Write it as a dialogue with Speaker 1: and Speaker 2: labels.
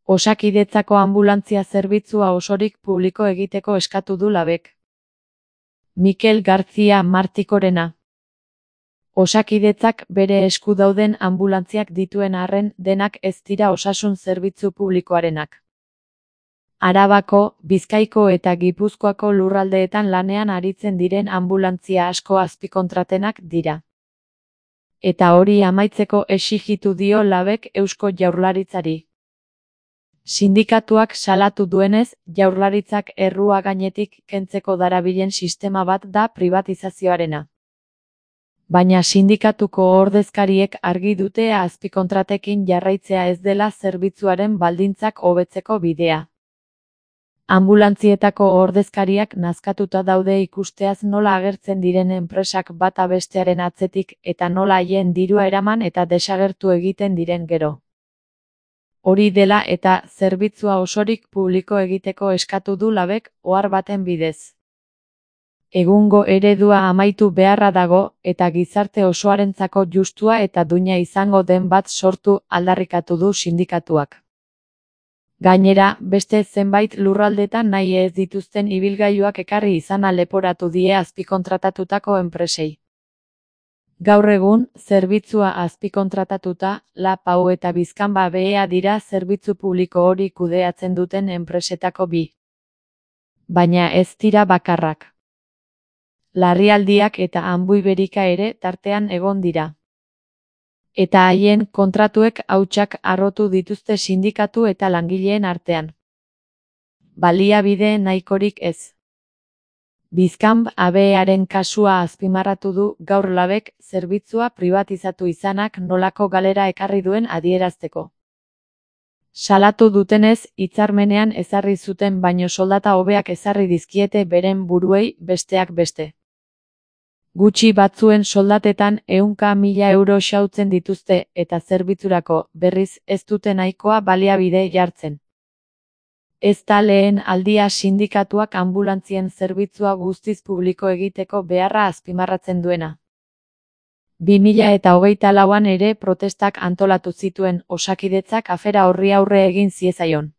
Speaker 1: Osakidetzako anbulantzia zerbitzua osorik publiko egiteko eskatu du Labek. Mikel García Martikorena. Osakidetzak bere esku dauden anbulantziak dituen arren denak ez dira osasun zerbitzu publikoarenak. Arabako, Bizkaiko eta Gipuzkoako lurraldeetan lanean aritzen diren anbulantzia asko azpikontratenak dira. Eta hori amaitzeko exijitu dio Labek Eusko Jaurlaritzari. Sindikatuak salatu duenez, Jaurlaritzak errua gainetik kentzeko darabilen sistema bat da pribatizazioarena. Baina sindikatuko ordezkariek argi dute azpikontratekin jarraitzea ez dela zerbitzuaren baldintzak hobetzeko bidea. Anbulantzietako ordezkariak nazkatuta daude ikusteaz nola agertzen diren enpresak bata bestearen atzetik eta nola haien dirua eraman eta desagertu egiten diren gero. Hori dela eta zerbitzua osorik publiko egiteko eskatu du Labek ohar baten bidez. Egungo eredua amaitu beharra dago eta gizarte osoarentzako justua eta duina izango den bat sortu aldarrikatu du sindikatuak. Gainera, beste zenbait lurraldetan nahi ez dituzten ibilgailuak ekarri izana leporatu die azpikontratatutako enpresei. Gaur egun, zerbitzua azpikontratatuta, Lapau eta Bizkanba BEA dira zerbitzu publiko hori kudeatzen duten enpresetako bi. Baina ez dira bakarrak. Larrialdiak eta Anbuiberika ere tartean egon dira. Eta haien kontratuek hautsak harrotu dituzte sindikatu eta langileen artean. Baliabide nahikorik ez. Bizkanb ABEaren kasua azpimarratu du gaur Labek zerbitzua pribatizatu izanak nolako galera ekarri duen adierazteko. Salatu dutenez, hitzarmenean ezarri zuten baino soldata hobeak ezarri dizkiete beren buruei besteak beste. Gutxi batzuen soldatetan 100.000 euro xautzen dituzte eta zerbitzurako, berriz, ez dute nahikoa baliabide jartzen. Ez da lehen aldia sindikatuak anbulantzien zerbitzua guztiz publiko egiteko beharra azpimarratzen duena. 2024an ere protestak antolatu zituen Osakidetzak afera horri aurre egin ziezaion.